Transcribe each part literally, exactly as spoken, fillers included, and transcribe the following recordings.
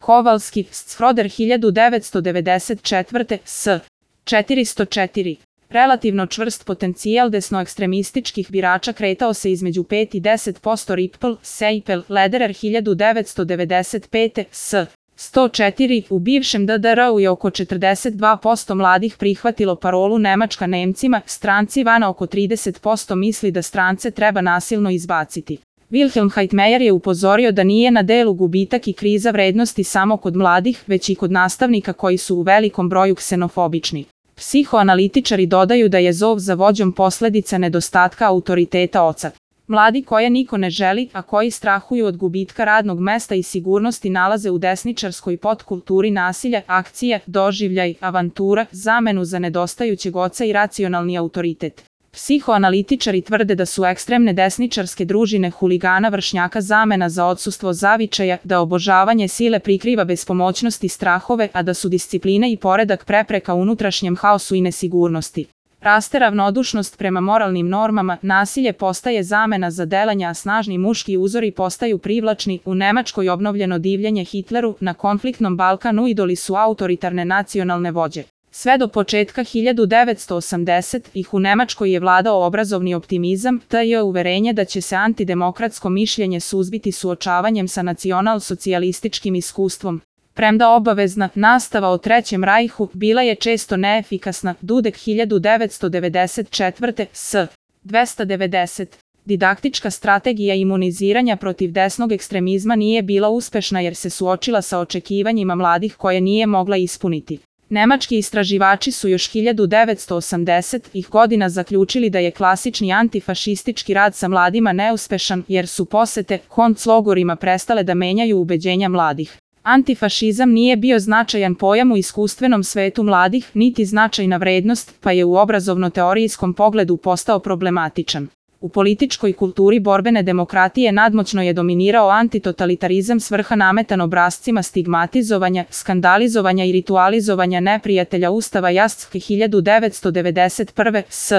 Kovalski, Schroeder hiljadu devetsto devedeset četvrte. S. četiristo četiri. Relativno čvrst potencijal desnoekstremističkih birača kretao se između pet i deset posto. Ripple, Seipel, Lederer hiljadu devetsto devedeset pete. S. sto četiri. U bivšem D D R-u je oko četrdeset dva posto mladih prihvatilo parolu Nemačka Nemcima, stranci vana oko trideset posto misli da strance treba nasilno izbaciti. Wilhelm Heitmeyer je upozorio da nije na delu gubitak i kriza vrednosti samo kod mladih, već i kod nastavnika koji su u velikom broju ksenofobični. Psihoanalitičari dodaju da je zov za vođom posledica nedostatka autoriteta oca. Mladi koje niko ne želi, a koji strahuju od gubitka radnog mesta i sigurnosti nalaze u desničarskoj podkulturi nasilja, akcije, doživljaj, avantura, zamenu za nedostajućeg oca i racionalni autoritet. Psihoanalitičari tvrde da su ekstremne desničarske družine huligana vršnjaka zamena za odsustvo zavičaja, da obožavanje sile prikriva bespomoćnost i strahove, a da su disciplina i poredak prepreka unutrašnjem haosu i nesigurnosti. Raste ravnodušnost prema moralnim normama, nasilje postaje zamena za delanja, a snažni muški uzori postaju privlačni. U Nemačkoj obnovljeno divljenje Hitleru, na konfliktnom Balkanu idoli su autoritarne nacionalne vođe. Sve do početka hiljadu devetsto osamdesetih u Nemačkoj je vladao obrazovni optimizam, te je uverenje da će se antidemokratsko mišljenje suzbiti suočavanjem sa nacional-socijalističkim iskustvom. Premda obavezna nastava o Trećem rajhu bila je često neefikasna. Dudek hiljadu devetsto devedeset četvrte. S. dvesta devedeset. Didaktička strategija imuniziranja protiv desnog ekstremizma nije bila uspešna jer se suočila sa očekivanjima mladih koje nije mogla ispuniti. Nemački istraživači su još hiljadu devetsto osamdesetih godina zaključili da je klasični antifašistički rad sa mladima neuspešan jer su posete konclogorima prestale da menjaju ubeđenja mladih. Antifašizam nije bio značajan pojam u iskustvenom svetu mladih, niti značajna vrednost, pa je u obrazovno-teorijskom pogledu postao problematičan. U političkoj kulturi borbene demokratije nadmoćno je dominirao antitotalitarizam s vrha nametan obrascima stigmatizovanja, skandalizovanja i ritualizovanja neprijatelja Ustava Jastrzębie hiljadu devetsto devedeset prve. S.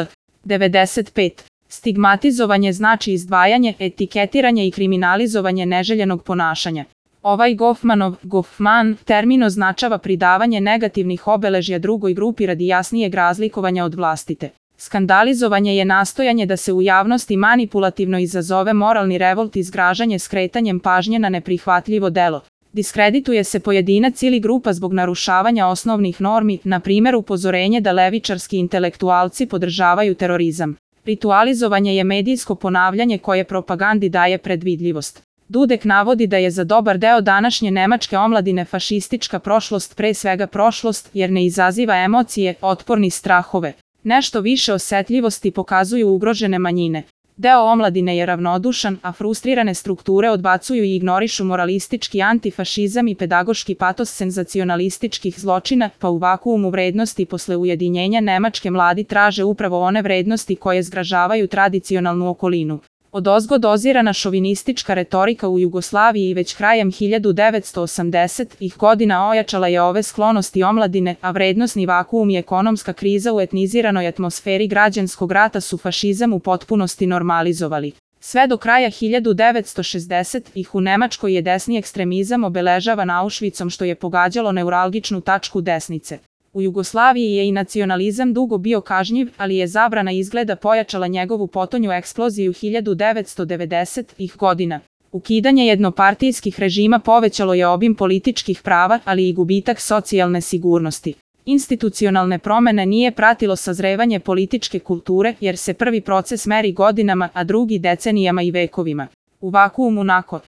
devedeset pet. Stigmatizovanje znači izdvajanje, etiketiranje i kriminalizovanje neželjenog ponašanja. Ovaj Goffmanov, Goffman, termin označava pridavanje negativnih obeležja drugoj grupi radi jasnijeg razlikovanja od vlastite. Skandalizovanje je nastojanje da se u javnosti manipulativno izazove moralni revolt i zgražanje skretanjem pažnje na neprihvatljivo delo. Diskredituje se pojedinac ili grupa zbog narušavanja osnovnih normi, na primjer upozorenje da levičarski intelektualci podržavaju terorizam. Ritualizovanje je medijsko ponavljanje koje propagandi daje predvidljivost. Dudek navodi da je za dobar deo današnje nemačke omladine fašistička prošlost pre svega prošlost jer ne izaziva emocije, otpor ni strahove. Nešto više osetljivosti pokazuju ugrožene manjine. Deo omladine je ravnodušan, a frustrirane strukture odbacuju i ignorišu moralistički antifašizam i pedagoški patos senzacionalističkih zločina, pa u vakuumu vrednosti posle ujedinjenja Nemačke mladi traže upravo one vrednosti koje zgražavaju tradicionalnu okolinu. Odozgo dozirana šovinistička retorika u Jugoslaviji već krajem hiljadu devetsto osamdesetih godina ojačala je ove sklonosti omladine, a vrednosni vakuum i ekonomska kriza u etniziranoj atmosferi građanskog rata su fašizam u potpunosti normalizovali. Sve do kraja hiljadu devetsto šezdesetih u Nemačkoj je desni ekstremizam obeležavan Auschwitzom što je pogađalo neuralgičnu tačku desnice. U Jugoslaviji je i nacionalizam dugo bio kažnjiv, ali je zabrana izgleda pojačala njegovu potonju eksploziju hiljadu devetsto devedesetih godina. Ukidanje jednopartijskih režima povećalo je obim političkih prava, ali i gubitak socijalne sigurnosti. Institucionalne promene nije pratilo sazrevanje političke kulture, jer se prvi proces meri godinama, a drugi decenijama i vekovima. U vakuumu nakon